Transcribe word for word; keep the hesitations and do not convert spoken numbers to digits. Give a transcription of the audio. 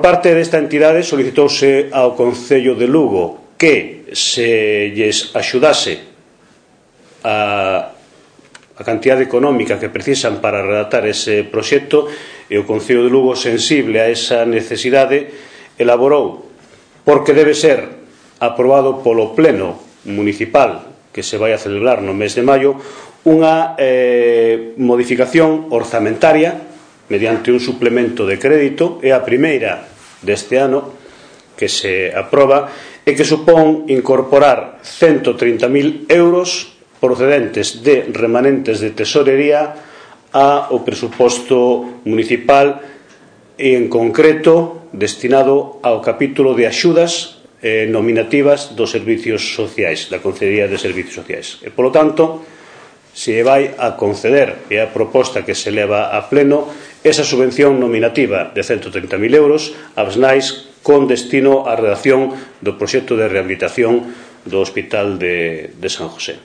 parte desta entidade solicitouse ao Concello de Lugo que se lles axudase a, a cantidade económica que precisan para redactar ese proxecto, e o Concello de Lugo, sensible a esa necesidade, elaborou, porque debe ser aprobado polo Pleno Municipal que se vai a celebrar no mes de maio, unha eh, modificación orzamentaria mediante un suplemento de crédito. É a primeira deste ano que se aproba e que supón incorporar ciento trinta mil euros procedentes de remanentes de tesorería ao presuposto municipal, e en concreto destinado ao capítulo de axudas eh, nominativas dos servicios sociais, da Consellería de Servicios Sociais. E, polo tanto, se vai a conceder, e a proposta que se leva a pleno, esa subvención nominativa de ciento trinta mil euros ás nais con destino á redacción do proxecto de rehabilitación do Hospital de, de San José.